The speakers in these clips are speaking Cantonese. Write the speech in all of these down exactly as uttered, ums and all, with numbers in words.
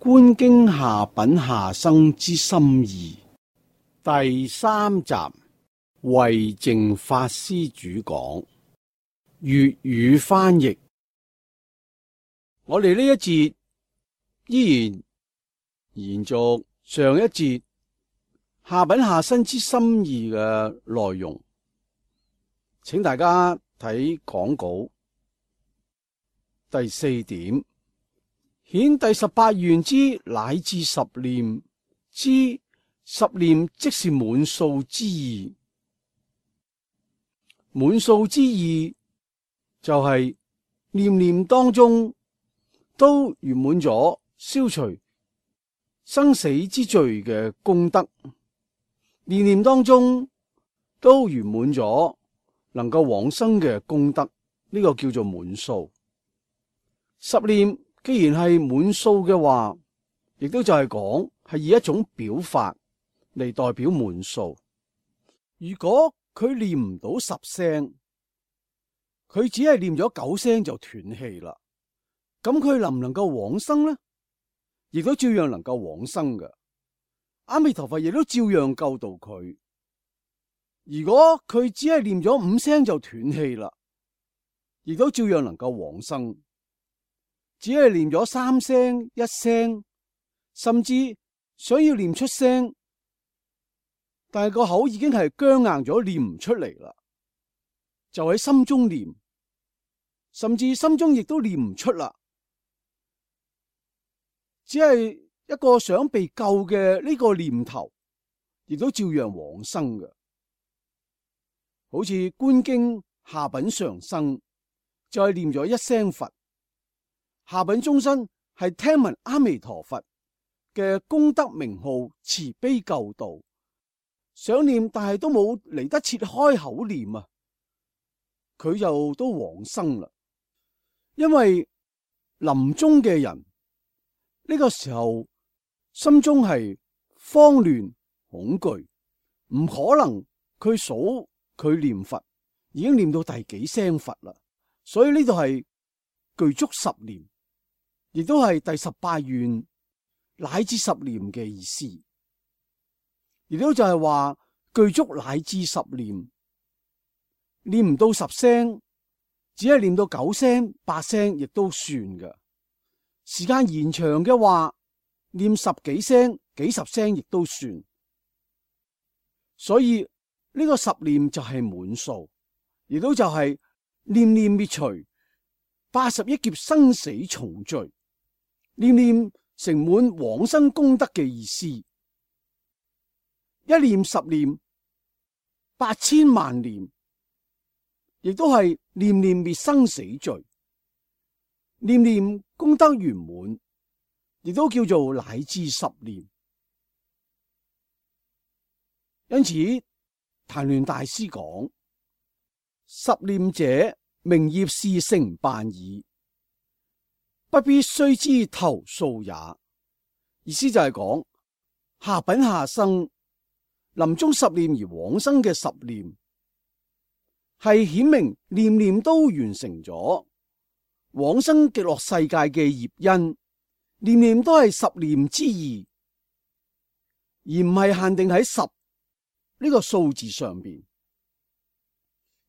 觀經下品下生之心意第三集，慧淨法師主講，粵語翻譯。我哋呢一節依然延續上一節下品下生之心意嘅內容，請大家睇講稿第四點。顯第十八願之乃至十念之十念，即是滿數之意。滿數之意就係念念當中都圓滿咗消除生死之罪嘅功德，念念當中都圓滿咗能夠往生嘅功德，呢、這個叫做滿數。十念既然係滿數嘅話，亦都就係講係以一種表法嚟代表滿數。如果佢念唔到十聲，佢只係念咗九聲就斷氣啦，咁佢能唔能夠往生呢？亦都照樣能夠往生嘅。阿彌陀佛亦都照樣救度佢。如果佢只係念咗五聲就斷氣啦，亦都照樣能夠往生。只係念咗三聲、一聲，甚至想要念出聲，但係個口已經係僵硬咗，念唔出嚟啦。就喺心中念，甚至心中亦都念唔出啦。只係一個想被救嘅呢個念頭，亦都照樣往生嘅。好似觀經下品上生，就係念咗一聲佛。下品中生係聽聞阿彌陀佛嘅功德名號，慈悲救度，想念但係都冇嚟得切開口念啊，佢就都往生啦。因為臨終嘅人呢個時候心中係慌亂恐懼，唔可能佢數佢念佛已經念到第幾聲佛啦，所以呢度係具足十念。亦都係第十八願乃至十念嘅意思，亦都就係話具足乃至十念，念唔到十聲，只係念到九聲、八聲，亦都算嘅。時間延長嘅話，念十幾聲、幾十聲，亦都算。所以呢個十念就係滿數，亦都就係念念滅除八十億劫生死重罪。念念成滿往生功德嘅意思，一念十念，八千萬念，亦都係念念滅生死罪，念念功德圓滿，亦都叫做乃至十念。因此，曇鸞大師講：十念者，名業事成辦矣。不必須知頭數也，意思就係講下品下生臨終十念而往生嘅十念，係顯明念念都完成咗往生極樂世界嘅業因，念念都係十念之意，而唔係限定喺十呢個數字上邊。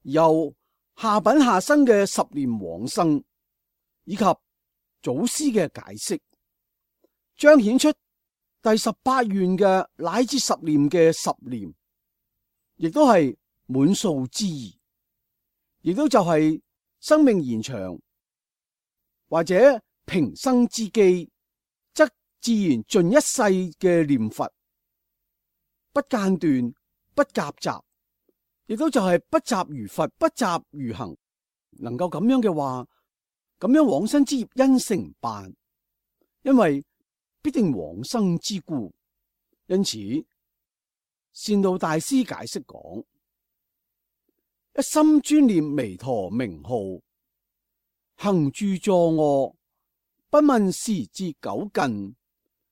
由下品下生嘅十念往生，以及祖師嘅解釋，彰顯出第十八願嘅乃至十念嘅十念，亦都係滿數之意，亦都就係生命延長或者平生之機，則自然盡一世嘅念佛，不間斷，不夾雜，亦都就係不雜如佛，不雜如行。能夠咁樣嘅話，咁樣往生之業因成辦，因為必定往生之故。因此，善導大師解釋講：一心專念彌陀名號，行住坐臥，不問時節久近，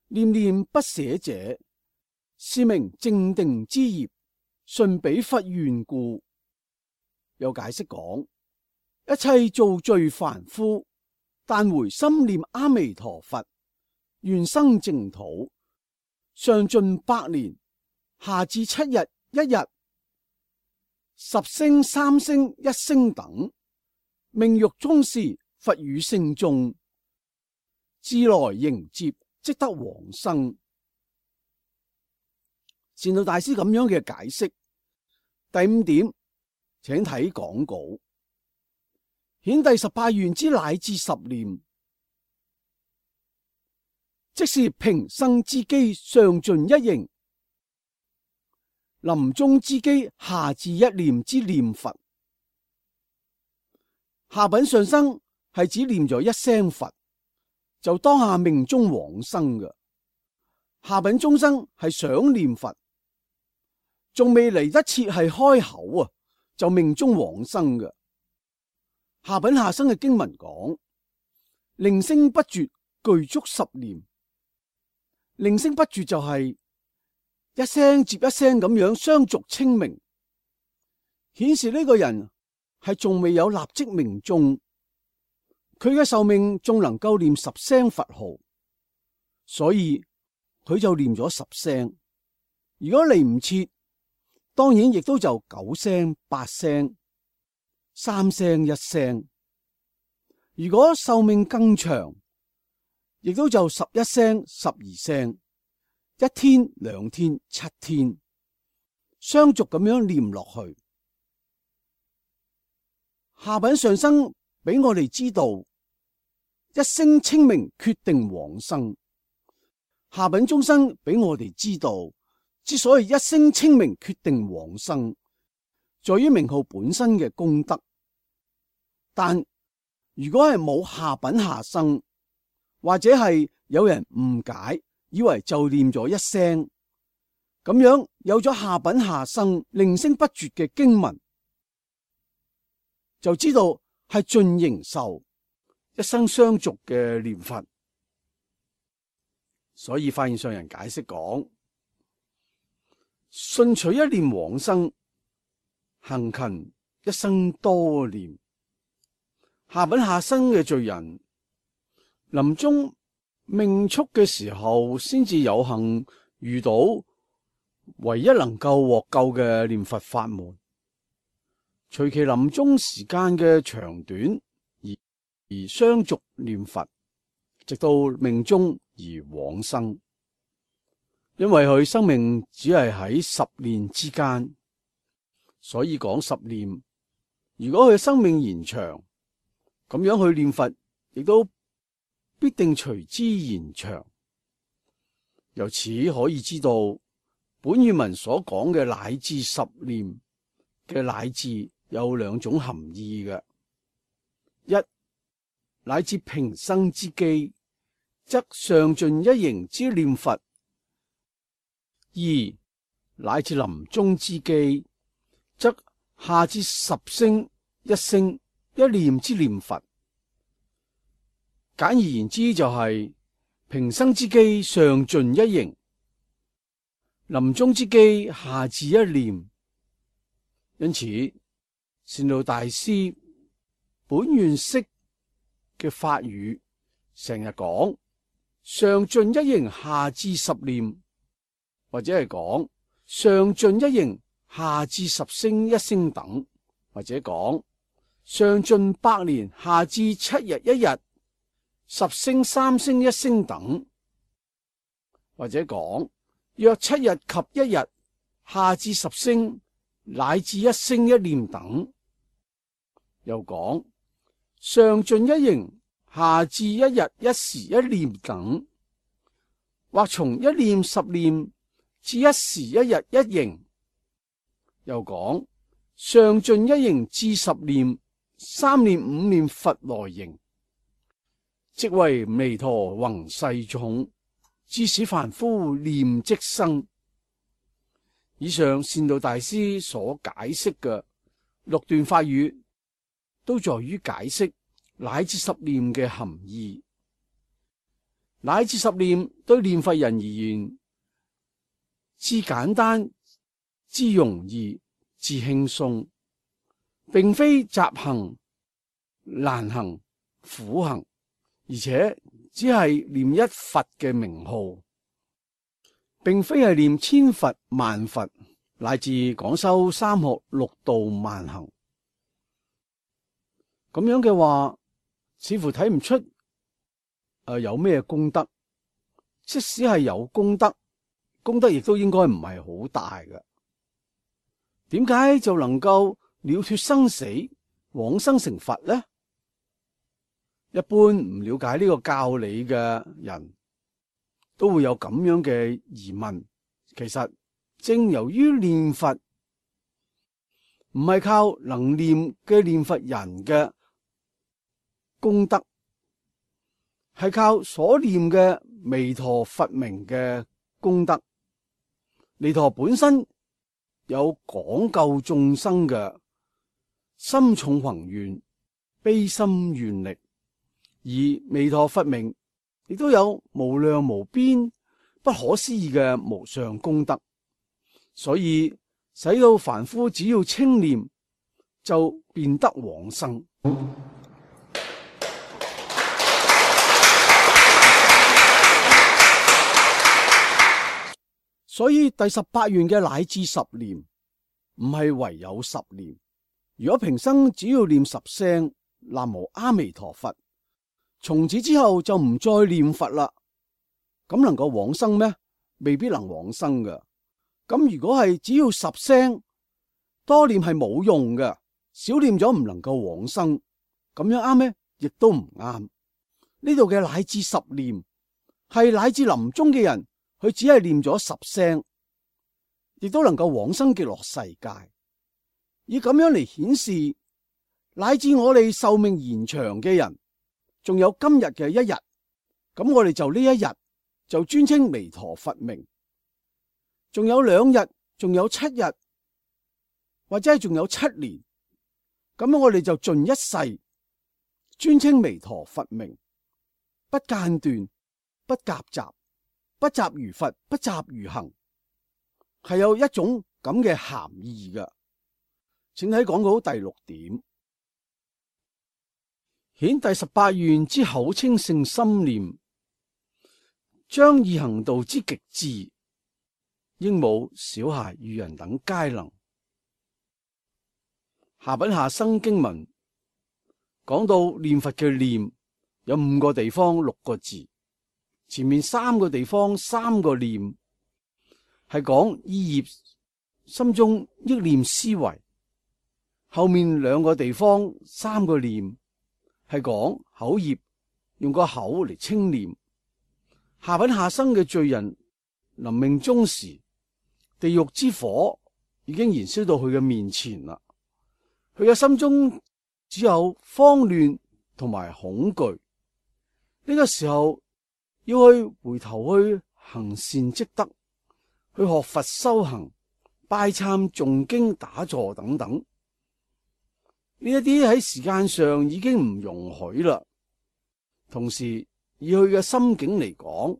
念念不捨者，是名正定之業，順彼佛願故。又解釋講：一切造罪凡夫，但回心念阿彌陀佛，願生淨土，上盡百年，下至七日一日，十聲三聲一聲等，命欲中時，佛與聖眾，自來迎接，即得往生。善導大師咁樣嘅解釋。第五點，請睇講稿。顯第十八願之乃至十念，即是平生之機上盡一形，臨終之機下至一念之念佛。下品上生係指念咗一聲佛，就當下命中往生嘅。下品中生係想念佛，仲未嚟得切係開口啊，就命中往生嘅。下品下生嘅經文講，鈴聲不絕，具足十念。鈴聲不絕就係一聲接一聲咁樣相續清明，顯示呢個人係仲未有立即命終，佢嘅壽命仲能夠念十聲佛號，所以佢就念咗十聲。如果嚟唔切，當然亦都就九聲、八聲、三聲、一聲。如果壽命更長，亦都就十一聲、十二聲、一天、兩天、七天，相續咁樣念落去。下品上生俾我哋知道，一聲清明決定往生。下品中生俾我哋知道，之所以一聲清明決定往生，在於名號本身嘅功德。但如果係冇下品下生，或者係有人誤解，以為就念咗一聲，咁樣有咗下品下生鈴聲不絕嘅經文，就知道係盡形壽一生相續嘅念佛。所以法現上人解釋講，順取一念往生，行勤一生多念。下品下生嘅罪人，臨終命速嘅時候，先至有幸遇到唯一能夠獲救嘅念佛法門。隨其臨終時間嘅長短而而相續念佛，直到命終而往生。因為佢生命只係喺十念之間，所以講十念。如果佢生命延長，咁樣去念佛，亦都必定隨之延長。由此可以知道，本願文所講嘅乃至十念嘅乃至有兩種含義嘅：一，乃至平生之機，則上盡一形之念佛；二，乃至臨終之機，則下至十聲一聲一念之念佛。簡而言之，就係、是、平生之機上盡一形，臨終之機下至一念。因此，善導大師本願釋嘅法語成日講上盡一形下至十念，或者係講上盡一形下至十聲一聲等，或者講上盡百年下至七日一日，十聲三聲一聲等，或者講約七日及一日下至十聲乃至一聲一念等，又講上盡一形下至一日一時一念等，或從一念十念至一時一日一形，又講上盡一形至十念三念五念佛來形，即為彌陀宏誓重，致使凡夫念即生。以上善導大師所解釋嘅六段法語，都在於解釋乃至十念嘅含義。乃至十念對念佛人而言，至簡單、至容易、至輕鬆，並非雜行、難行、苦行，而且只係念一佛嘅名號，並非係念千佛萬佛，乃至廣修三學六度萬行。咁樣嘅話，似乎睇唔出誒、呃、有咩功德。即使係有功德，功德亦都應該唔係好大嘅。點解就能夠了脫生死，往生成佛呢？一般唔了解呢個教理嘅人都會有咁樣嘅疑問。其實正由於念佛唔係靠能念嘅念佛人嘅功德，係靠所念嘅彌陀佛名嘅功德。彌陀本身有廣救眾生嘅深重宏願、悲心願力，而彌陀佛名亦都有無量無邊、不可思議嘅無上功德，所以使到凡夫只要稱念就便得往生。所以第十八願嘅乃至十念唔係唯有十念。如果平生只要念十聲南無阿彌陀佛，從此之後就唔再念佛啦，咁能夠往生咩？未必能往生㗎。咁如果係只要十聲，多念係冇用嘅，少念咗唔能夠往生，咁樣啱咩？亦都唔啱。呢度嘅乃至十念係乃至臨終嘅人，佢只係念咗十聲，亦都能夠往生極樂世界。以咁樣嚟顯示，乃至我哋壽命延長嘅人，仲有今日嘅一日，咁我哋就呢一日就專稱彌陀佛名。仲有兩日，仲有七日，或者係仲有七年，咁樣我哋就盡一世專稱彌陀佛名，不間斷，不夾雜。不雜如佛，不雜如行，係有一種咁嘅含義嘅。請睇講稿第六點，顯第十八願之口稱勝心念，將易行道之極致，應母小孩愚人等皆能。下品下生經文講到念佛嘅念有五個地方六個字。前面三個地方三個念係講意業心中憶念思維，後面兩個地方三個念係講口業用個口嚟稱念。下品下生嘅罪人臨命終時，地獄之火已經燃燒到佢嘅面前啦，佢嘅心中只有慌亂同埋恐懼。呢個時候要去回頭去行善積德，去學佛修行、拜懺誦經打坐等等，呢一啲喺時間上已經唔容許啦。同時以佢嘅心境嚟講，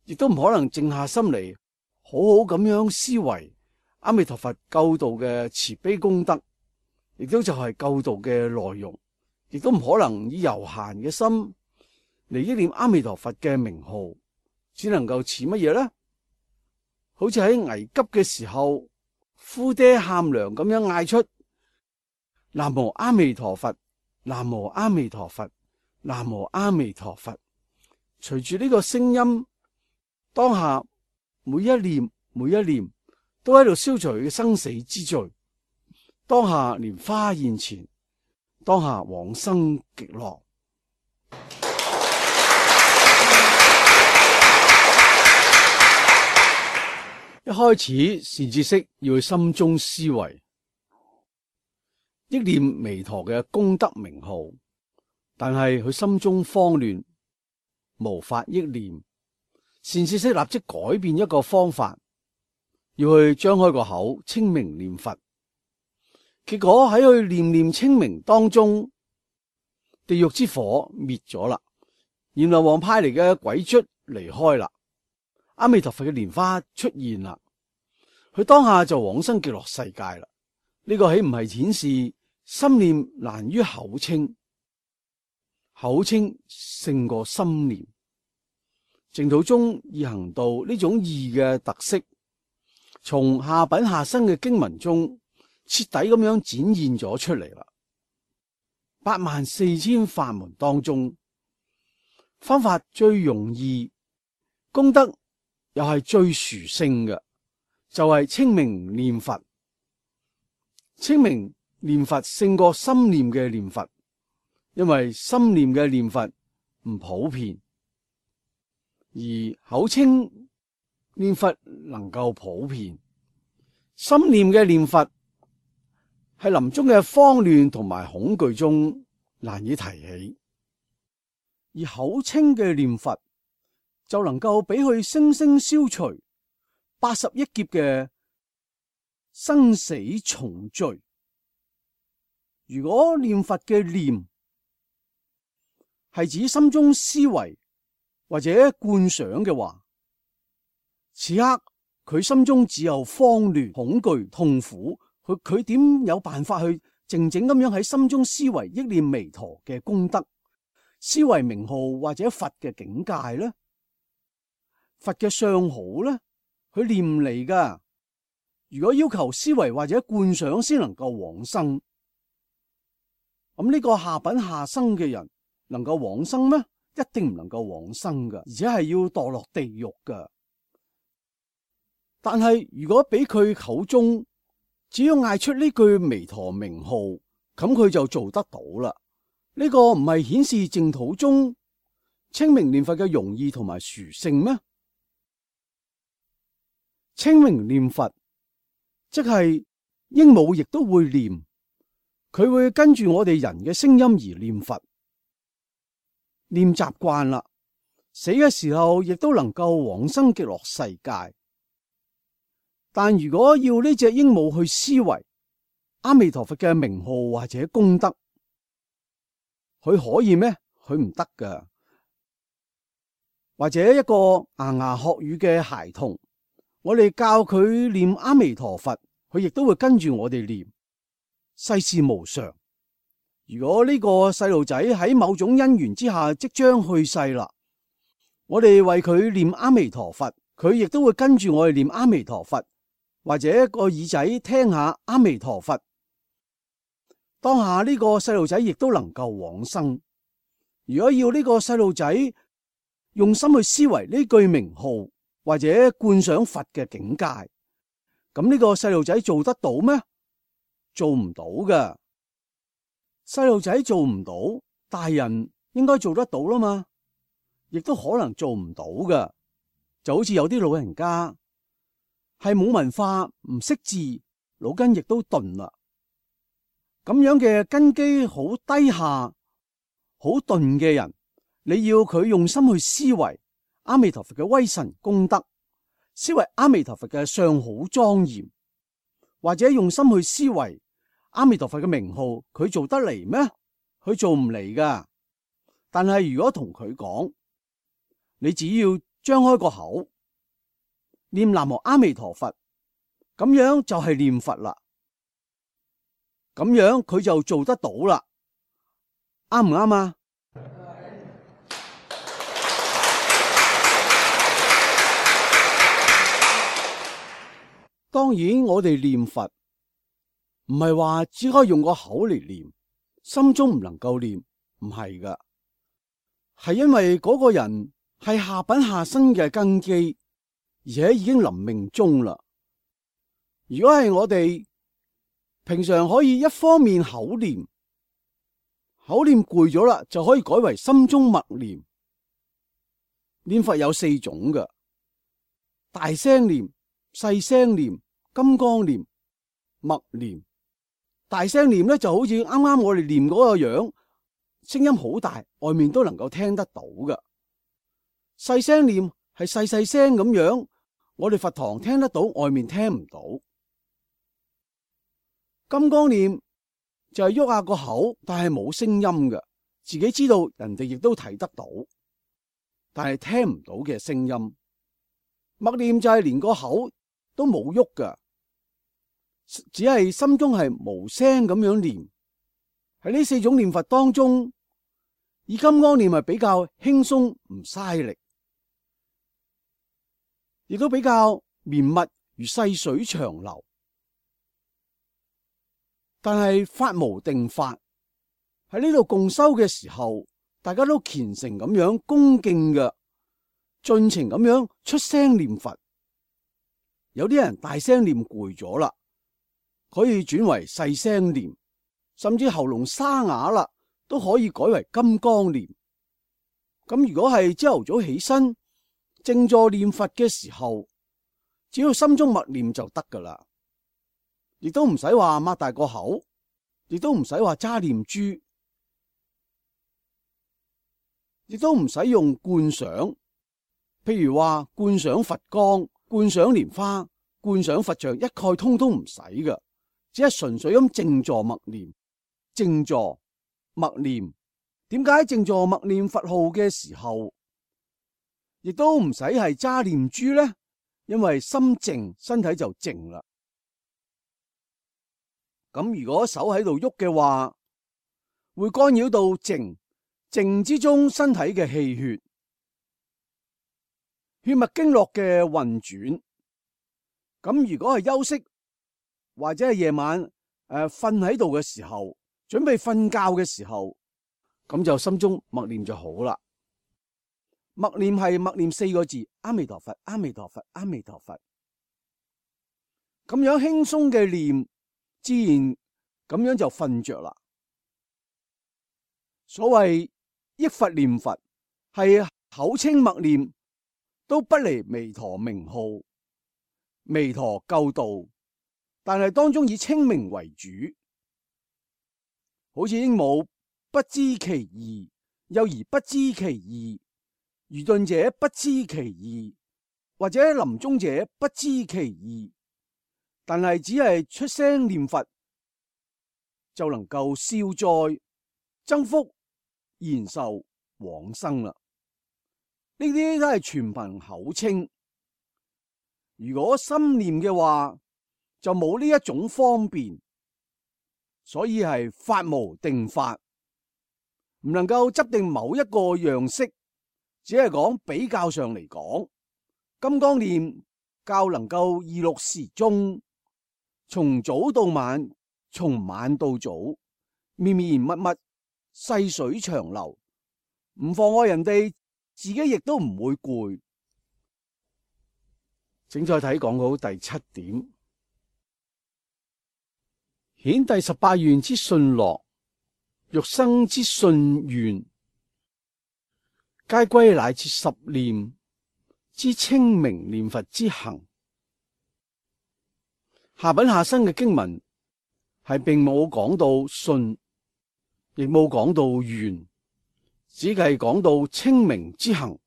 亦都唔可能靜下心嚟好好咁樣思維阿彌陀佛救度嘅慈悲功德，亦都就係救度嘅內容，亦都唔可能以悠閒嘅心嚟憶念阿彌陀佛嘅名號，只能夠似乜嘢呢？好似喺危急嘅時候，呼爹喊娘咁樣嗌出南無阿彌陀佛，南無阿彌陀佛，南無阿彌陀佛。隨住呢個聲音，當下每一念每一念都喺度消除佢嘅生死之罪，當下蓮花現前，當下往生極樂。一開始善知識要去心中思維憶念彌陀嘅功德名號，但係佢心中慌亂，無法憶念。善知識立即改變一個方法，要去張開個口稱名念佛。結果喺佢念念稱名當中，地獄之火滅咗啦，閻羅王派嚟嘅鬼卒離開啦。阿彌陀佛嘅蓮花出現啦，佢當下就往生極樂世界啦。呢個豈唔係顯示心念難於口稱？口稱勝過心念。淨土宗易行道呢種易嘅特色，從下品下生嘅經文中徹底咁樣展現咗出嚟啦。八萬四千法門當中，方法最容易，功德又係最殊勝嘅，就係稱名念佛。稱名念佛勝過心念嘅念佛，因為心念嘅念佛唔普遍，而口稱念佛能夠普遍。心念嘅念佛係臨終嘅慌亂同埋恐懼中難以提起，而口稱嘅念佛就能夠俾佢生生消除八十一劫嘅生死重罪。如果念佛嘅念係指心中思維或者觀想嘅話，此刻佢心中只有慌亂、恐懼、痛苦，佢佢點有辦法去靜靜咁樣喺心中思維憶念彌陀嘅功德，思維名號或者佛嘅境界呢？佛嘅相好呢？佢念嚟噶。如果要求思維或者觀想先能夠往生，咁呢個下品下生嘅人能夠往生咩？一定唔能夠往生噶，而且係要墮落地獄噶。但係如果俾佢口中只要嗌出呢句彌陀名號，咁佢就做得到啦。呢、這個唔係顯示淨土中稱名念佛嘅容易同埋殊勝咩？稱名念佛即係鸚鵡亦都會念，佢會跟住我哋人嘅聲音而念佛，念習慣啦，死嘅時候亦都能夠往生極樂世界。但如果要呢隻鸚鵡去思維阿彌陀佛嘅名號或者功德，佢可以咩？佢唔得噶。或者一個牙牙學語嘅孩童，我哋教佢念阿彌陀佛，佢亦都會跟住我哋念。世事無常，如果呢個細路仔喺某種因緣之下即將去世啦，我哋為佢念阿彌陀佛，佢亦都會跟住我哋念阿彌陀佛，或者個耳仔聽下阿彌陀佛。當下呢個細路仔亦都能夠往生。如果要呢個細路仔用心去思維呢句名號，或者觀想佛嘅境界，咁呢個細路仔做得到咩？做唔到㗎。細路仔做唔到，大人應該做得到啦嘛，亦都可能做唔到㗎。就好似有啲老人家係冇文化，唔識字，腦筋亦都鈍啦。咁樣嘅根基好低下、好鈍嘅人，你要佢用心去思維阿彌陀佛嘅威神功德，思維阿彌陀佛嘅相好莊嚴，或者用心去思維阿彌陀佛嘅名號，佢做得嚟咩？佢做唔嚟噶。但係如果同佢講，你只要張開個口念南無阿彌陀佛，咁樣就係念佛啦。咁樣佢就做得到啦，啱唔啱啊？當然，我哋念佛唔係話只可以用個口嚟念，心中唔能夠念，唔係噶，係因為嗰個人係下品下生嘅根基，而且已經臨命終啦。如果係我哋平常可以一方面口念，口念攰咗啦，就可以改為心中默念。念佛有四種噶，大聲念、細聲念、金剛念、默念。大聲念咧就好似啱啱我哋念嗰個樣，聲音好大，外面都能夠聽得到噶。細聲念係細細聲咁樣，我哋佛堂聽得到，外面聽唔到。金剛念就係喐下個口，但係冇聲音嘅，自己知道，人哋亦都睇得到，但係聽唔到嘅聲音。默念就係連個口都冇喐㗎，只係心中係無聲咁樣念。喺呢四種念佛當中，以金剛念係比較輕鬆唔嘥力，亦都比較綿密如細水長流。但係法無定法，喺呢度共修嘅時候，大家都虔誠咁樣恭敬嘅，盡情咁樣出聲念佛。有啲人大聲念攰咗啦，可以轉為細聲念，甚至喉嚨沙啞啦，都可以改為金剛念。咁如果係朝頭早起身靜坐念佛嘅時候，只要心中默念就得噶啦，亦都唔使話擘大個口，亦都唔使話揸念珠，亦都唔使用觀想，譬如話觀想佛光、觀想蓮花、觀想佛像，一概通通唔使噶，只係純粹咁靜坐默念。靜坐默念，點解靜坐默念佛號嘅時候，亦都唔使係揸念珠呢？因為心靜，身體就靜啦。咁如果手喺度喐嘅話，會干擾到靜，靜之中身體嘅氣血、血脈經絡嘅運轉。咁如果係休息或者係夜晚誒瞓喺度嘅時候，準備瞓覺嘅時候，咁就心中默念就好啦。默念係默念四個字：阿彌陀佛，阿彌陀佛，阿彌陀佛。咁樣輕鬆嘅念，自然咁樣就瞓着啦。所謂憶佛念佛，係口稱默念，都不離彌陀名號、彌陀救度，但係當中以稱名為主。好似鸚鵡不知其義，幼兒不知其義，愚鈍者不知其義，或者臨終者不知其義，但係只係出聲念佛，就能夠消災、增福、延壽、往生啦。呢啲都係全憑口稱，如果心念嘅話，就冇呢一種方便，所以係法無定法，唔能夠執定某一個樣式。只係講比較上嚟講，金剛念較能夠二六時中，從早到晚，從晚到早，綿綿密密，細水長流，唔妨礙人哋，自己亦都唔會攰。請再睇講好第七點，顯第十八願之信樂，欲生之信願，皆歸乃至十念之稱名念佛之行。下品下生嘅經文係並冇講到信，亦冇講到願，只係講到稱名之行。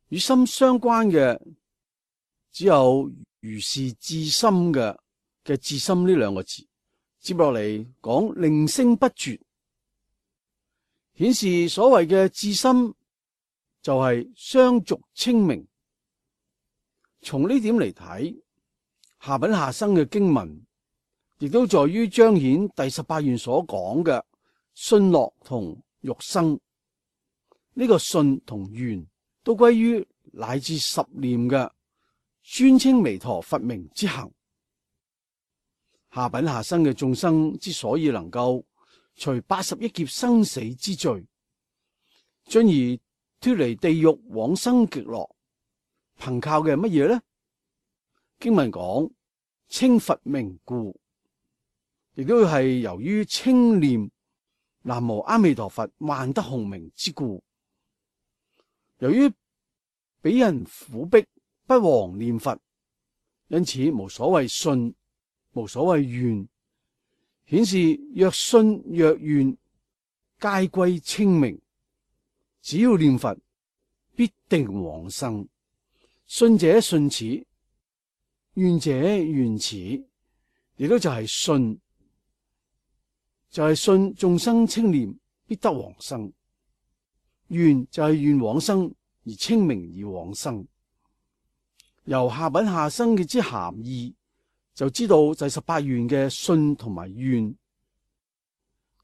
與心相關嘅只有如是至心嘅嘅至心呢兩個字。接落嚟講令聲不絕，顯示所謂嘅至心就係相續稱名。從呢點嚟睇，下品下生嘅經文亦都在於彰顯第十八願所講嘅信樂同欲生。呢、這個信同願都歸於乃至十念嘅專稱彌陀佛名之行。下品下生嘅眾生之所以能夠除八十億劫生死之罪，進而脫離地獄往生極樂，憑靠嘅係乜嘢呢？經文講稱佛名故，亦都係由於稱念南無阿彌陀佛萬德洪名之故。由於俾人苦逼不忘念佛，因此無所謂信，無所謂願，顯示若信若願皆歸稱名。只要念佛，必定往生。信者信此，願者願此，亦都就係信，就係信眾生稱念必得往生。願就係願往生而稱名而往生。由下品下生嘅之含義，就知道第十八願嘅信同埋願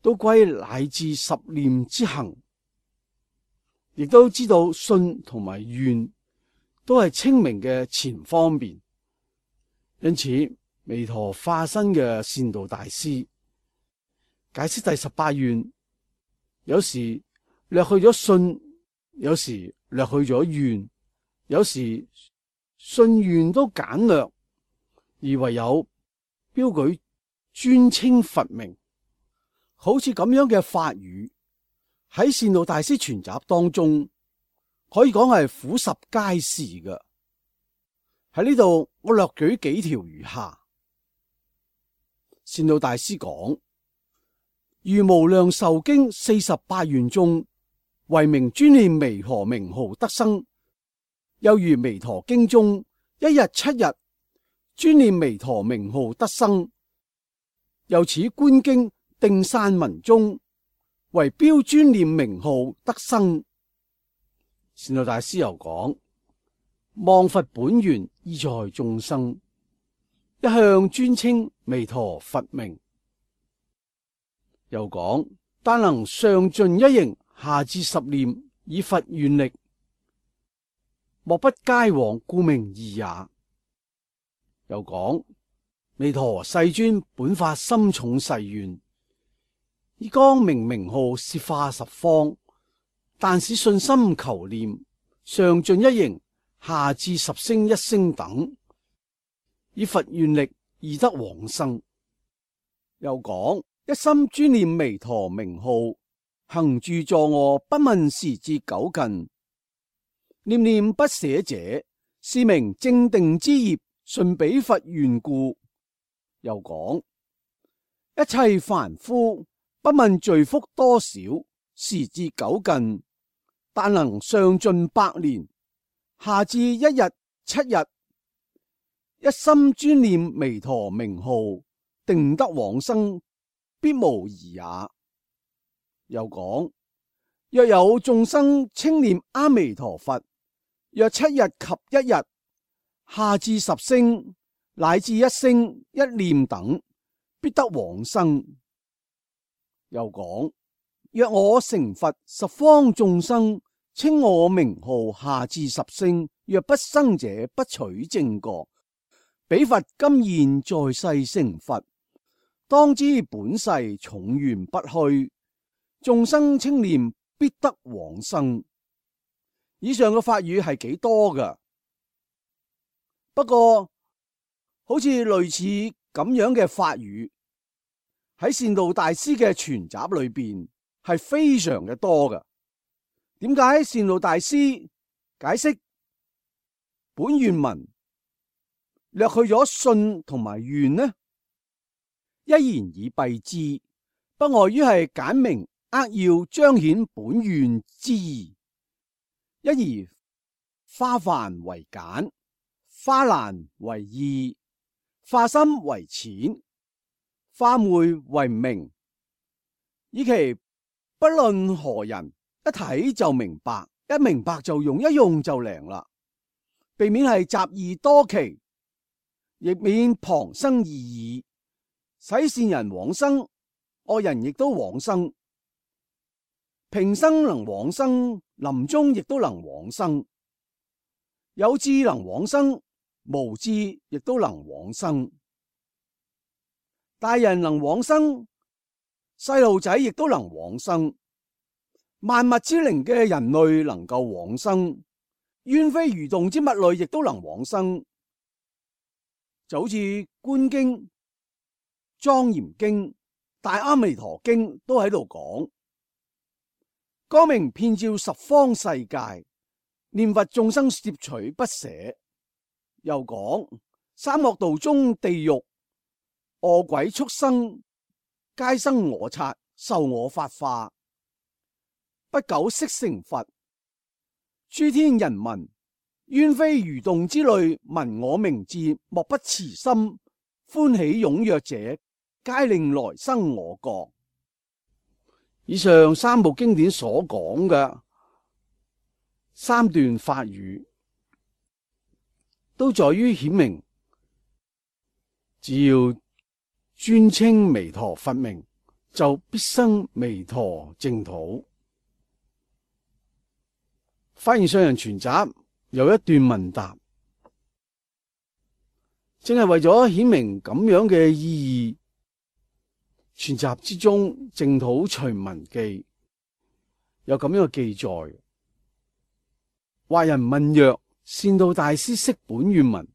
都歸乃至十念之行，亦都知道信同埋願都係清明嘅前方面。因此彌陀化身嘅善導大師解釋第十八願，有時略去咗信，有時略去咗願，有時信願都簡略，而唯有標舉尊稱佛名。好似咁樣嘅法語喺善導大師全集當中，可以講係俯拾皆是嘅。喺呢度我略舉幾條如下。善導大師講，如無量壽經四十八願中，唯名專念彌陀名號得生；又如彌陀經中，一日七日專念彌陀名號得生。又此觀經定散文中，為標專念名號得生。善導大師又講，望佛本願意在眾生，一向專稱彌陀佛名。又講，但能上盡一形，下至十念，以佛願力，莫不皆往故名義也。又講，彌陀世尊本發深重誓願，以光明名號攝化十方，但使信心求念，上盡一形，下至十聲一聲等，以佛願力而得往生。又講，一心專念彌陀名號，行住坐臥不問時節久近，念念不捨者，是名正定之業，順彼佛願故。又講，一切凡夫不問罪福多少，時節久近，但能上盡百年，下至一日七日，一心專念彌陀名號，定得往生，必無疑也。又講，若有眾生稱念阿彌陀佛，若七日及一日，下至十聲，乃至一聲一念等，必得往生。又講，若我成佛，十方眾生稱我名號，下至十聲，若不生者，不取正覺。彼佛今現在世成佛，當知本世重緣不虛，眾生稱念必得往生。以上嘅法語係幾多噶？不過好似類似咁樣嘅法語喺善導大師嘅全集裏邊係非常嘅多噶。點解善導大師解釋本願文略去咗信同埋願呢？一言以蔽之，不外於係簡明扼要彰顯本願之意。一而化繁為簡，化難為易，化深為淺，化昧為明，以其不論何人一睇就明白，一明白就用，一用就靈啦。避免係雜義多奇，亦免旁生異議，使善人往生，惡人亦都往生。平生能往生，臨終亦都能往生。有智能往生，無智亦都能往生。大人能往生，細路仔亦都能往生。萬物之靈嘅人類能夠往生，冤非蠕動之物類亦都能往生。就好似觀經、莊嚴經、大阿彌陀經都喺度講，光明遍照十方世界，念佛眾生攝取不捨。又講三惡道中地獄餓鬼畜生，皆生我剎，受我法化，不久悉成佛。諸天人民冤非蠕動之類，聞我名字，莫不慈心歡喜踴躍者，皆令來生我國。以上三部經典所講嘅三段法語，都在於顯明，只要專稱彌陀佛名就必生彌陀淨土。發現上人全集有一段問答，正係為咗顯明咁樣嘅意義。全集之中淨土隨文記有咁樣嘅記載。或人問曰：善導大師釋本願文，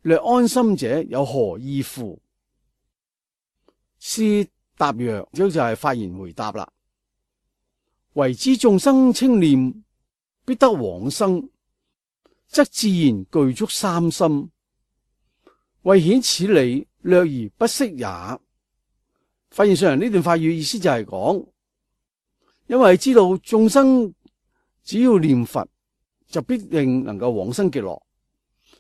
略安心者有何意乎？師答曰：就係發言回答啦。唯知眾生稱念必得往生，則自然具足三心。為顯此理，略而不釋也。發現上人呢段法語意思就係講，因為知道眾生只要念佛就必定能夠往生極樂，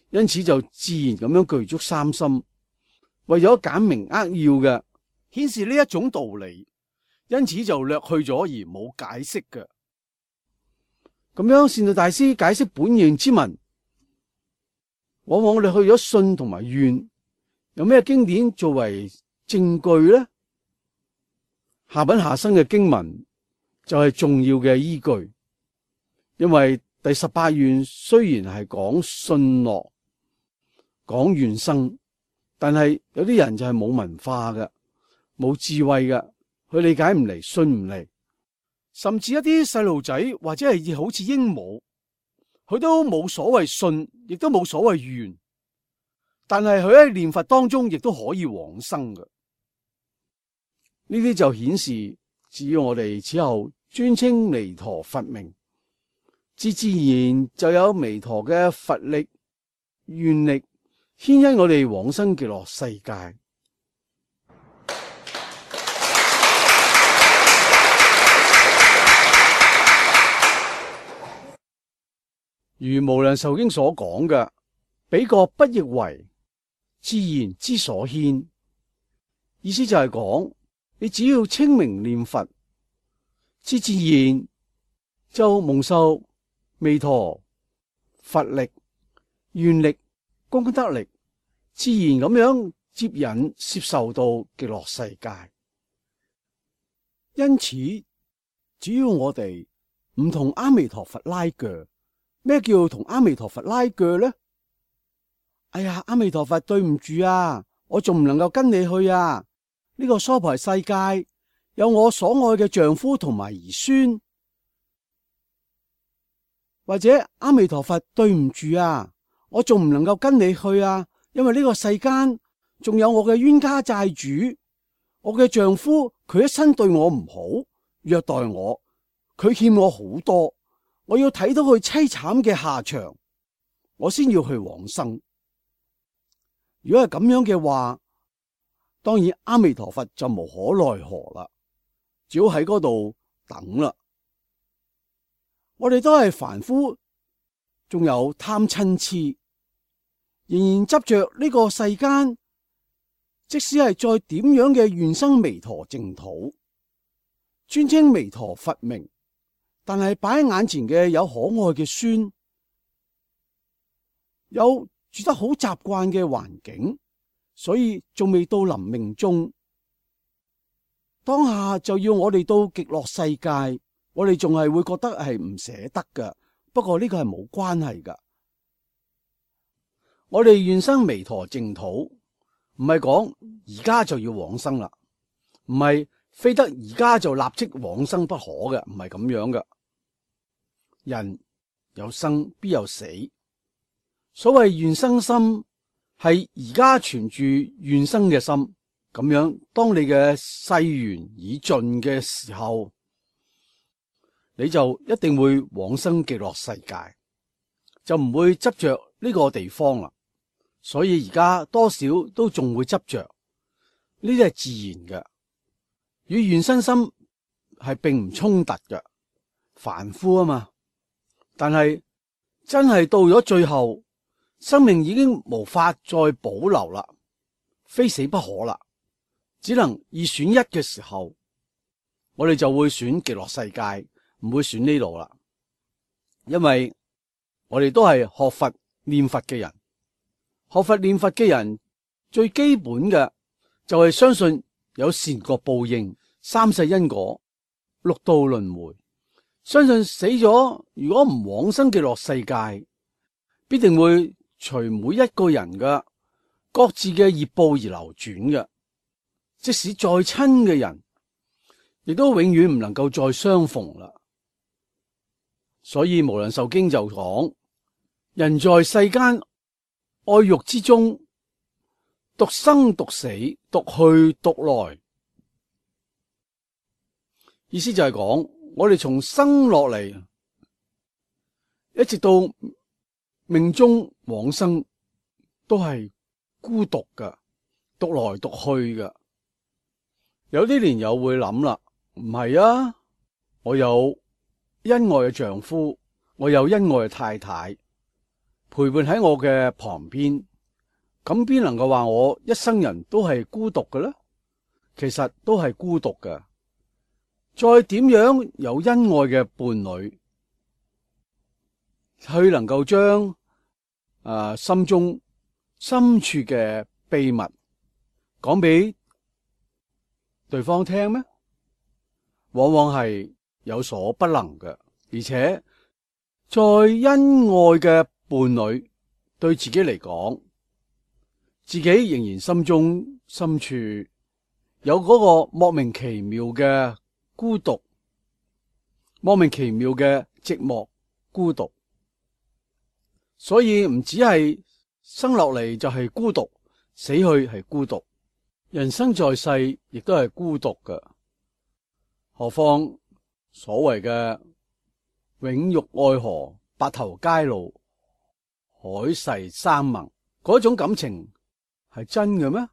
因此就自然咁樣具足三心。為咗簡明扼要嘅顯示呢一種道理，因此就略去咗而冇解釋嘅。咁樣善導大師解釋本願之文，往往我哋去咗信同埋願，有咩經典作為證據呢？下品下生嘅經文就係重要嘅依據，因為第十八願雖然係講信樂、講願生，但係有啲人就係冇文化嘅、冇智慧嘅，佢理解唔嚟、信唔嚟，甚至一啲細路仔或者係好似鸚鵡，佢都冇所謂信，亦都冇所謂願，但係佢喺念佛當中亦都可以往生嘅。呢啲就顯示，只要我哋此後專稱彌陀佛名，自自然就有彌陀嘅佛力、願力牽引我哋往生極樂世界。如無量壽經所講嘅，彼國不亦為自然之所牽，意思就係講，你只要清明念佛，自自然就蒙受彌陀佛力、願力、功德力，自然咁樣接引攝受到極樂世界。因此，只要我哋唔同阿彌陀佛拉鋸，咩叫同阿彌陀佛拉鋸呢？哎呀，阿彌陀佛，對唔住啊，我仲唔能夠跟你去啊！呢個娑婆世界有我所愛嘅丈夫同埋兒孫，或者阿彌陀佛，對唔住啊，我仲唔能夠跟你去啊！因為呢個世間仲有我嘅冤家債主，我嘅丈夫佢一生對我唔好，虐待我，佢欠我好多，我要睇到佢淒慘嘅下場，我先要去往生。如果係咁樣嘅話，當然阿彌陀佛就無可奈何啦，只好喺嗰度等啦。我哋都係凡夫，仲有貪嗔癡，仍然執着呢個世間，即使係再點樣嘅願生彌陀淨土，專稱彌陀佛名，但係擺喺眼前嘅有可愛嘅孫，有住得好習慣嘅環境，所以仲未到臨命終，當下就要我哋到極樂世界，我哋仲係會覺得係唔捨得㗎。不過呢個係冇關係㗎。我哋願生彌陀淨土，唔係講而家就要往生啦，唔係非得而家就立即往生不可嘅，唔係咁樣嘅。人有生必有死，所謂願生心，係而家存住願生嘅心，咁樣當你嘅世緣已盡嘅時候，你就一定會往生極樂世界，就唔會執着呢個地方啦。所以而家多少都仲會執着，呢啲係自然嘅，與願生心係並唔衝突嘅，凡夫啊嘛。但係真係到咗最後，生命已經無法再保留啦，非死不可啦，只能二選一嘅時候，我哋就會選極樂世界，唔會選呢度啦。因為我哋都係學佛念佛嘅人，學佛念佛嘅人最基本嘅就係相信有善惡報應、三世因果、六道輪迴。相信死咗如果唔往生極樂世界，必定會隨每一個人嘅各自嘅業報而流轉嘅。即使再親嘅人，亦都永遠唔能夠再相逢啦。所以無量壽經就講：人在世間愛欲之中，獨生獨死，獨去獨來。意思就係講，我哋從生落嚟，一直到命終往生，都係孤獨噶，獨來獨去噶。有啲蓮友會諗啦，唔係啊，我有恩愛嘅丈夫，我有恩愛嘅太太陪伴喺我嘅旁邊，咁邊能夠話我一生人都係孤獨嘅呢？其實都係孤獨嘅。再點樣有恩愛嘅伴侶，佢能夠將誒心中深處嘅秘密講俾對方聽咩？往往係有所不能嘅。而且再恩愛嘅伴侶對自己嚟講，自己仍然心中深處有嗰個莫名其妙嘅孤獨，莫名其妙嘅寂寞孤獨。所以唔只係生落嚟就係孤獨，死去係孤獨，人生在世亦都係孤獨嘅。何況所謂嘅永浴愛河，白頭偕老，海誓山盟，嗰種感情係真嘅咩？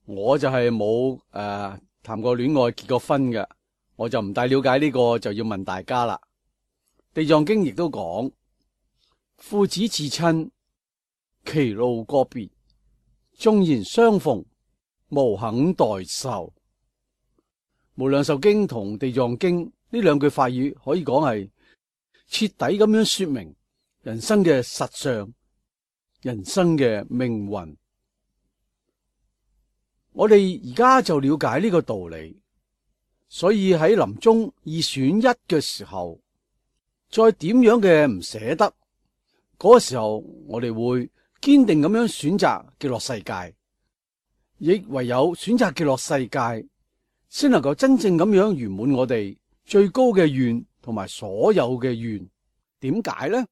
我就係冇誒談過戀愛結過婚嘅，我就唔大了解呢個，就要問大家啦。地藏經亦都講，父子至親，其路個別，縱然相逢，無肯代受。無量壽經同地藏經呢兩句法語可以講係徹底咁樣說明人生嘅實相，人生嘅命運。我哋而家就了解呢個道理，所以喺臨終二選一嘅時候，再點樣嘅唔捨得，嗰個時候我哋會堅定咁樣選擇極樂世界，亦唯有選擇極樂世界，先能夠真正咁樣圓滿我哋最高嘅願同埋所有嘅願。點解呢？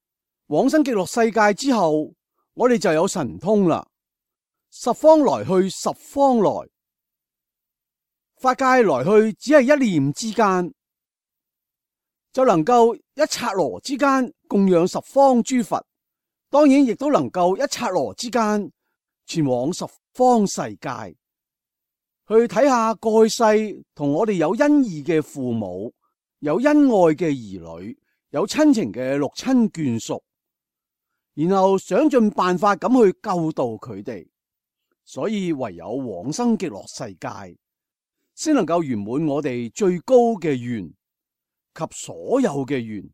往生極樂世界之後，我哋就有神通啦。十方來去十方來，法界來去只係一念之間，就能夠一剎那之間供養十方諸佛。當然亦都能夠一剎那之間前往十方世界，去睇下過去世同我哋有恩義嘅父母，有恩愛嘅兒女，有親情嘅六親眷屬，然後想盡辦法咁去救度佢哋。所以唯有往生極樂世界，先能夠圓滿我哋最高嘅願及所有嘅願。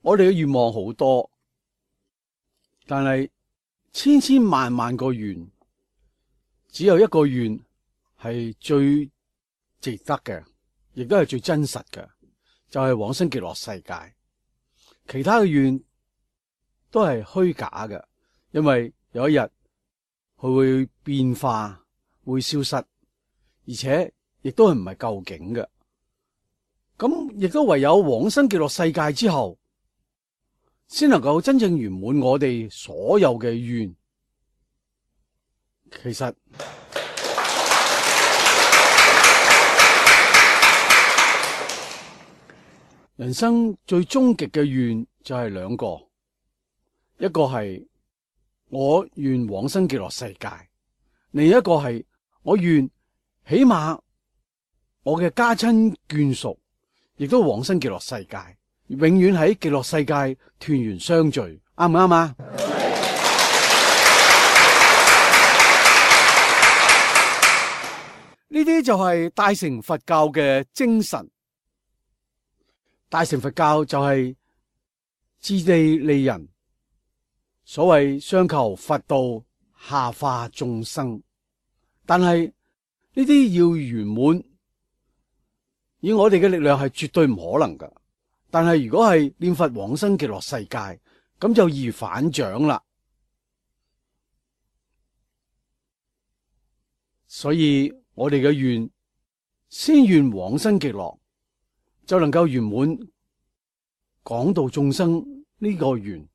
我哋嘅願望好多，但係千千萬萬個願，只有一個願係最值得嘅，亦都係最真實嘅。就係往生極樂世界，其他嘅願都係虛假嘅，因為有一日佢會變化，會消失，而且亦都係唔係究竟嘅。咁亦都唯有往生極樂世界之後，先能夠真正圓滿我哋所有嘅願。其實人生最終極嘅願就係兩個，一個係我願往生極樂世界，另一個係我願起碼我嘅家親眷屬亦都往生極樂世界，永遠喺極樂世界團圓相聚，啱唔啱啊？呢啲就係大乘佛教嘅精神。大乘佛教就係自利利人，所謂上求佛道，下化眾生。但係呢啲要圓滿，以我哋嘅力量係絕對唔可能噶。但係如果係念佛往生極樂世界，咁就易如反掌啦。所以我哋嘅願，先願往生極樂，就能夠圓滿廣度眾生呢個願。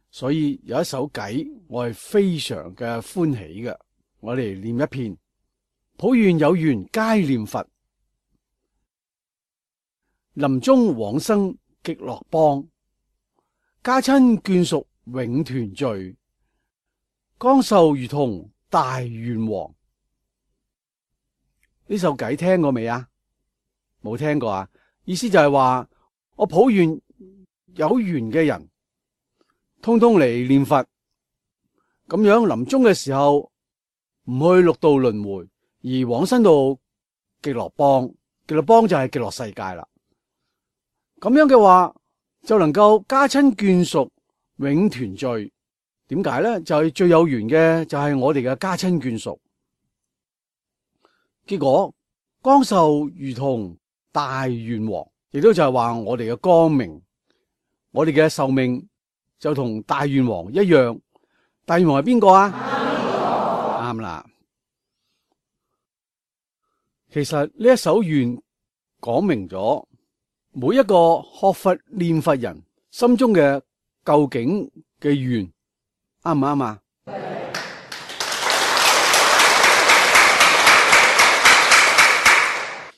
所以有一首偈，我係非常嘅歡喜嘅。我哋念一遍：普願有緣皆念佛，臨終往生極樂邦，家親眷屬永團聚，光壽如同大願王。呢首偈聽過未啊？冇聽過啊？意思就係話，我普願有緣嘅人，通通嚟念佛，咁樣臨終嘅時候唔去六道輪迴，而往生到極樂邦。極樂邦就係極樂世界啦。咁樣嘅話，就能夠家親眷屬永團聚。點解咧？就係最有緣嘅就係我哋嘅家親眷屬。結果光壽如同大願王，亦都就係話我哋嘅光明，我哋嘅壽命就同大願王一樣。大願王係邊個啊？啱啦。其實呢一首願講明咗每一個學佛念佛人心中嘅究竟嘅願，啱唔啱啊？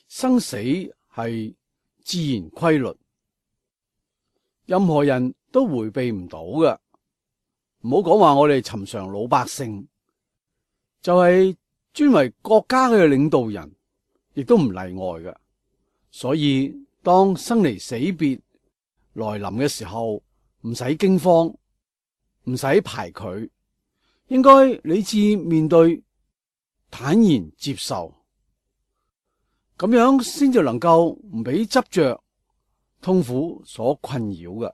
生死係自然規律，任何人都回避唔到嘅。唔好講話我哋尋常老百姓，就係專為國家嘅領導人，亦都唔例外嘅。所以當生離死別來臨嘅時候，唔使驚慌，唔使排拒，應該理智面對，坦然接受，咁樣先至能夠唔俾執着痛苦所困擾嘅。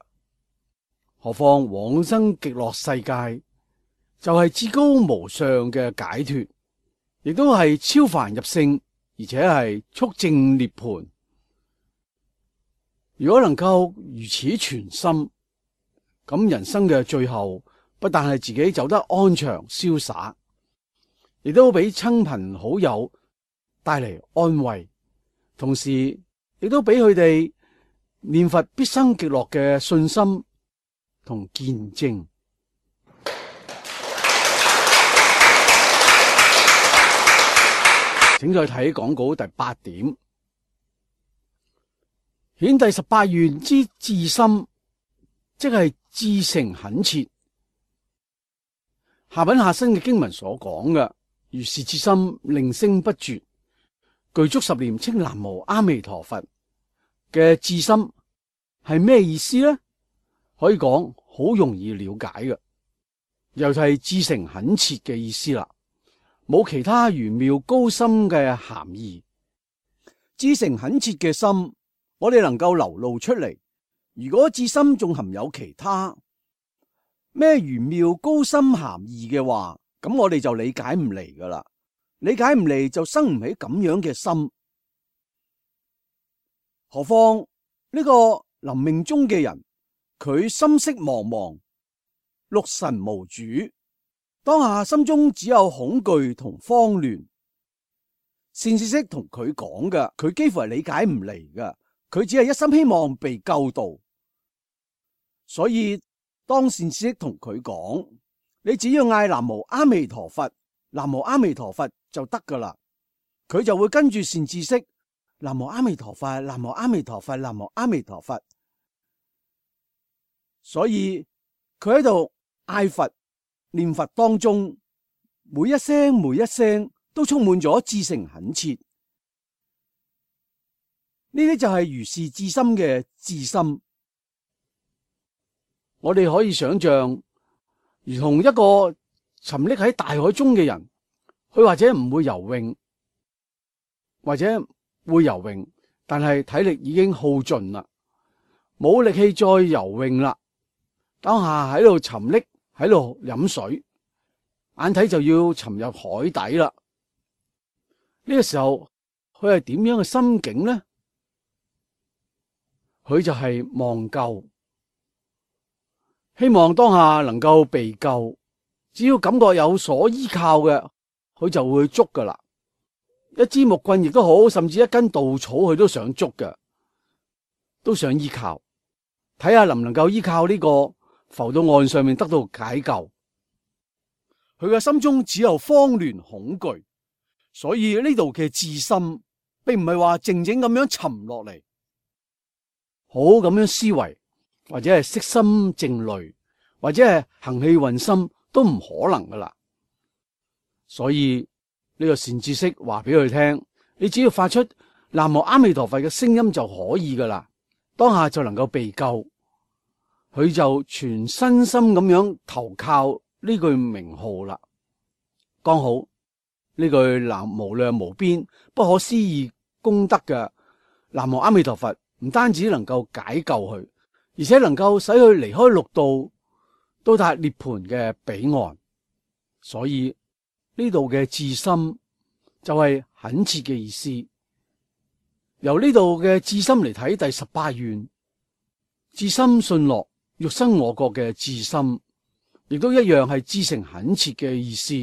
何況往生極樂世界就係至高無上嘅解脫，亦都係超凡入聖，而且係速證涅槃。如果能夠如此全心，咁人生嘅最後不但係自己走得安詳瀟灑，亦都俾親朋好友帶嚟安慰，同時亦都俾佢哋念佛必生極樂嘅信心同見證。請再睇講稿第八點，顯第十八願之至心，即係至誠懇切。下品下生嘅經文所講嘅，如是至心令聲不絕，具足十念稱南無阿彌陀佛嘅至心係咩意思呢？可以講好容易了解嘅，又係至誠懇切嘅意思啦，冇其他玄妙高深嘅含義。至誠懇切嘅心，我哋能夠流露出嚟。如果至心仲含有其他咩玄妙高深含義嘅話，咁我哋就理解唔嚟噶啦，理解唔嚟就生唔起咁樣嘅心。何況呢個臨命終嘅人，佢心識茫茫，六神無主，當下心中只有恐懼同慌亂。善知識同佢講嘅，佢幾乎係理解唔嚟噶，佢只係一心希望被救度。所以當善知識同佢講，你只要嗌南無阿彌陀佛，南無阿彌陀佛就得噶啦，佢就會跟住善知識南無阿彌陀佛，南無阿彌陀佛，南無阿彌陀佛。所以佢喺度嗌佛念佛當中，每一聲每一聲都充滿咗至誠懇切。呢啲就係如是至心嘅至心。我哋可以想象，如同一個沉溺喺大海中嘅人，佢或者唔會游泳，或者會游泳，但係體力已經耗盡啦，冇力氣再游泳啦。當下喺度沉溺，喺度飲水，眼睇就要沉入海底啦。呢個時候，佢係點樣嘅心境呢？佢就係望救，希望當下能夠被救。只要感覺有所依靠嘅，佢就會捉噶啦。一支木棍亦都好，甚至一根稻草，佢都想捉嘅，都想依靠，睇下能唔能夠依靠呢個浮到岸上面得到解救。佢嘅心中只有慌亂恐懼，所以呢度嘅智心並唔係話靜靜咁樣沉落嚟，好咁樣思維，或者係息心靜慮，或者係行氣運心，都唔可能噶啦。所以呢個善知識話俾佢聽，你只要發出南無阿彌陀佛嘅聲音就可以噶啦，當下就能夠被救。佢就全身心咁樣投靠呢句名號啦。剛好呢句南無量無邊不可思議功德嘅南無阿彌陀佛，唔單止能夠解救佢，而且能夠使佢離開六道，到達涅槃嘅彼岸。所以呢度嘅至心就係懇切嘅意思。由呢度嘅至心嚟睇第十八願，至心信樂欲生我國嘅至心，亦都一樣係至誠懇切嘅意思。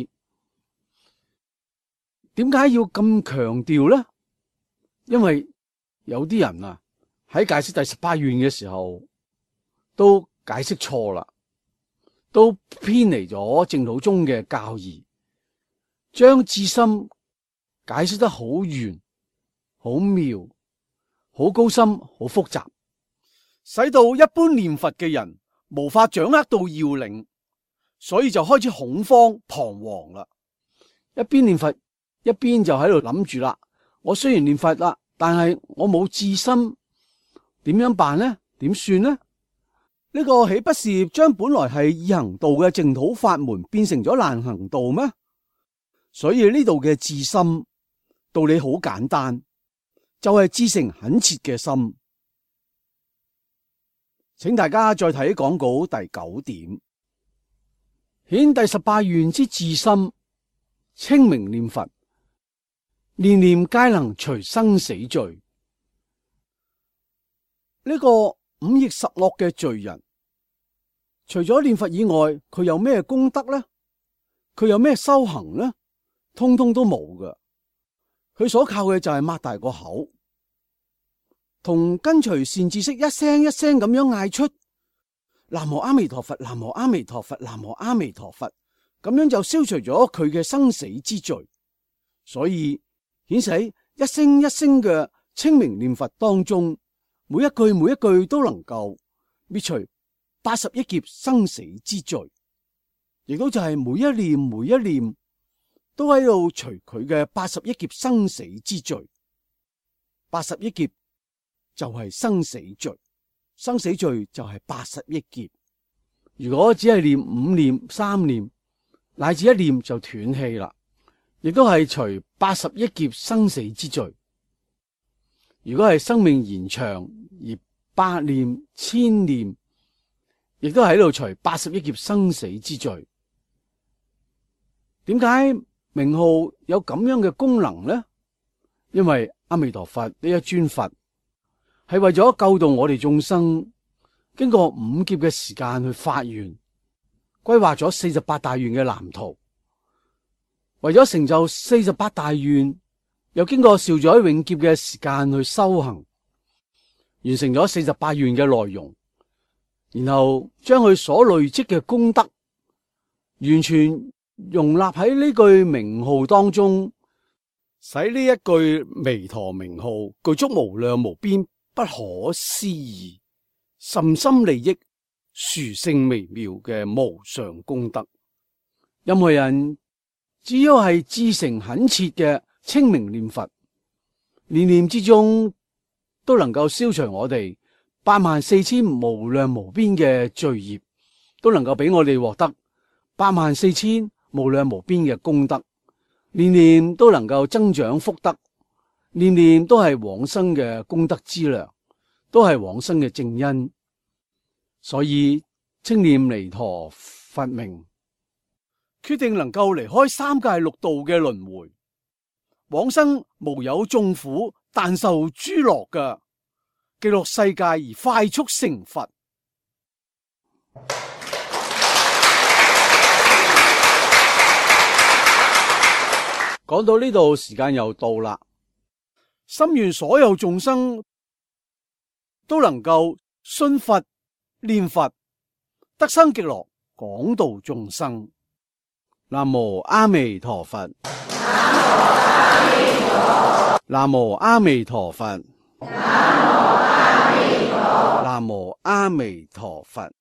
點解要咁強調呢？因為有啲人啊喺解釋第十八願嘅時候都解釋錯啦，都偏離咗淨土宗嘅教義，將至心解釋得好圓、好妙、好高深、好複雜，使到一般念佛嘅人無法掌握到要領，所以就開始恐慌彷徨啦。一邊念佛，一邊就喺度諗住啦，我雖然念佛啦，但係我冇至心，點樣辦呢？點算呢？呢個豈不是將本來係易行道嘅淨土法門變成咗難行道咩？所以呢度嘅至心道理好簡單，就係至誠懇切嘅心。請大家再睇講稿第九點，顯第十八願之至心，稱名念佛，念念皆能除生死罪。呢個五逆十惡嘅罪人，除咗念佛以外，佢有咩功德呢？佢有咩修行呢？通通都冇噶。佢所靠嘅就係擘大個口，同跟隨善知識一聲一聲咁樣嗌出南無阿彌陀佛，南無阿彌陀佛，南無阿彌陀佛，咁樣就消除咗佢嘅生死之罪。所以顯示一聲一聲嘅稱名念佛當中，每一句每一句都能夠滅除八十億劫生死之罪，亦都就係每一念每一念都喺度除佢嘅八十億劫生死之罪。八十億劫就係生死罪，生死罪就係八十億劫。如果只係念五念、三念，乃至一念就斷氣啦，亦都係除八十億劫生死之罪。如果係生命延長而百念、千念，亦都喺度除八十億劫生死之罪。點解名號有咁樣嘅功能呢？因為阿彌陀佛呢一尊佛係為咗救度我哋眾生，經過五劫嘅時間去發願，規劃咗四十八大願嘅藍圖，為咗成就四十八大願，又經過兆載永劫嘅時間去修行，完成咗四十八願嘅內容，然後將佢所累積嘅功德完全容納喺呢句名號當中，使呢一句彌陀名號具足無量無邊不可思議甚深利益殊勝微妙嘅無上功德。任何人只要係至誠懇切嘅稱名念佛，念念之中都能夠消除我哋八萬四千無量無邊嘅罪業，都能夠俾我哋獲得八萬四千無量無邊嘅功德，念念都能夠增長福德，念念都係往生嘅功德資糧，都係往生嘅正因，所以稱念彌陀佛名，決定能夠離開三界六道嘅輪迴，往生無有眾苦，但受諸樂嘅極樂世界而快速成佛。講到呢度，時間又到啦。心願所有眾生都能夠信佛、念佛，得生極樂，廣度眾生。南無阿彌陀佛。南無阿彌陀佛。南無阿彌陀佛。南無阿彌陀佛。